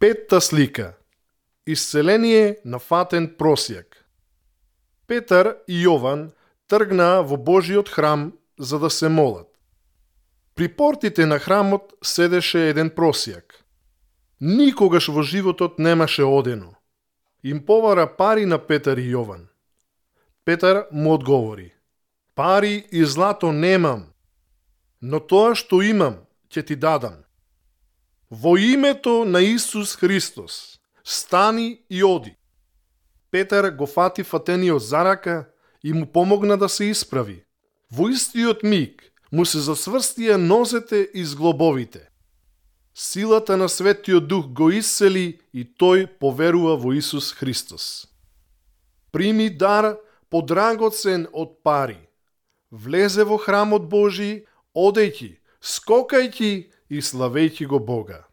Петта слика. Исцеление на фатен просјак. Петар и Јован тргнаа во Божиот храм за да се молат. При портите на храмот седеше еден просјак. Никогаш во животот немаше одено. Им повара пари на Петар и Јован. Петар му одговори: пари и злато немам, но тоа што имам ќе ти дадам. Во името на Исус Христос, стани и оди. Петар го фати фатениот за рака и му помогна да се исправи. Во истиот миг му се засврстија нозете и зглобовите. Силата на Светиот Дух го исцели и тој поверува во Исус Христос. Прими дар подрагоцен од пари. Влезе во храмот Божи, одејќи, скокајќи и славејќи го Бога.